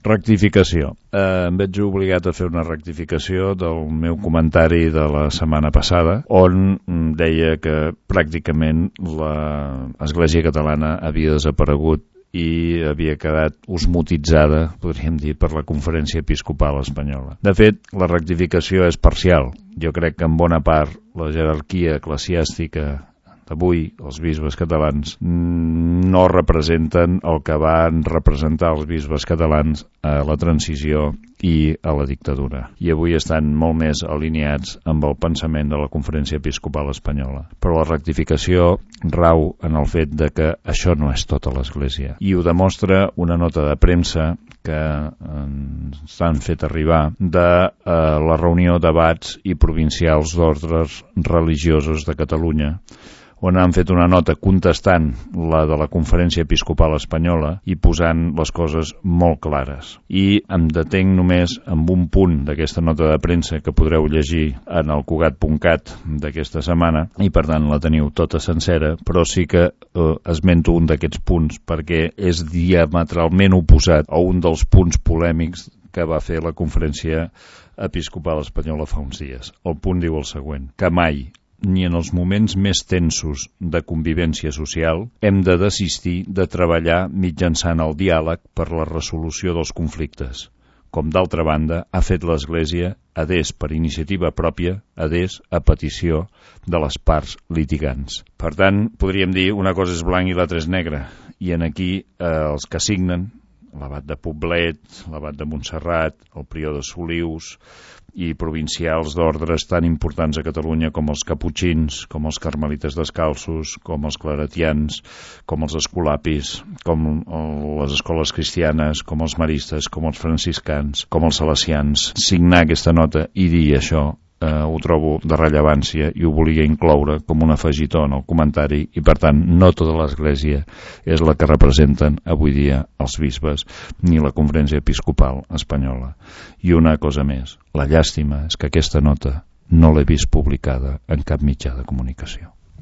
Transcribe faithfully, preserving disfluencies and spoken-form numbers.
Rectificació. Eh, em veig obligat a fer una rectificació del meu comentari de la setmana passada, on deia que pràcticament l'Església catalana havia desaparegut i havia quedat osmotitzada, podríem dir, per la Conferència Episcopal Espanyola. De fet, la rectificació és parcial. Jo crec que en bona part la jerarquia eclesiàstica d'avui, els bisbes catalans, no representen el que van representar els bisbes catalans a la transició i a la dictadura. I avui estan molt més alineats amb el pensament de la Conferència Episcopal Espanyola. Però la rectificació rau en el fet de que això no és tota l'Església. I ho demostra una nota de premsa que ens han fet arribar de eh, la reunió debats i provincials d'ordres religiosos de Catalunya, on han fet una nota contestant la de la Conferència Episcopal Espanyola i posant les coses molt clares. I em detenc només amb un punt d'aquesta nota de premsa que podreu llegir en el cugat punt cat d'aquesta setmana, i per tant la teniu tota sencera, però sí que eh, esmento un d'aquests punts perquè és diametralment oposat a un dels punts polèmics que va fer la Conferència Episcopal Espanyola fa uns dies. El punt diu el següent, que mai ni en els moments més tensos de convivència social hem de desistir de treballar mitjançant el diàleg per la resolució dels conflictes, com d'altra banda ha fet l'Església adés per iniciativa pròpia, adés a petició de les parts litigants. Per tant, podríem dir una cosa és blanc i l'altra és negre, i en aquí eh, els que signen, l'abat de Poblet, l'abat de Montserrat, el prior de Solius i provincials d'ordres tan importants a Catalunya com els caputxins, com els carmelites descalços, com els claretians, com els escolapis, com les escoles cristianes, com els maristes, com els franciscans, com els salesians. Signar aquesta nota i dir això eh, ho trobo de rellevància i ho volia incloure com un afegitó en el comentari i per tant no tota l'Església és la que representen avui dia els bisbes ni la Conferència Episcopal Espanyola. I una cosa més, la llàstima és que aquesta nota no l'he vist publicada en cap mitjà de comunicació.